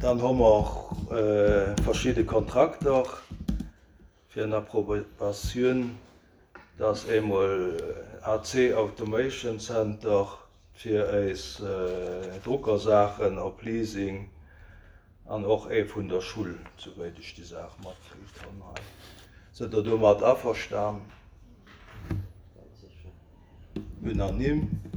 Dann hu mer verschidde Kontrakter fir en Approbatioun. Dat ass eemol AC Automation Center fir eis Druckersaachen op Leasing an och ee vun der Schull, souwéit ech déi Saach matkritt hunn hei. Sidd Der domat averstan? Unanime.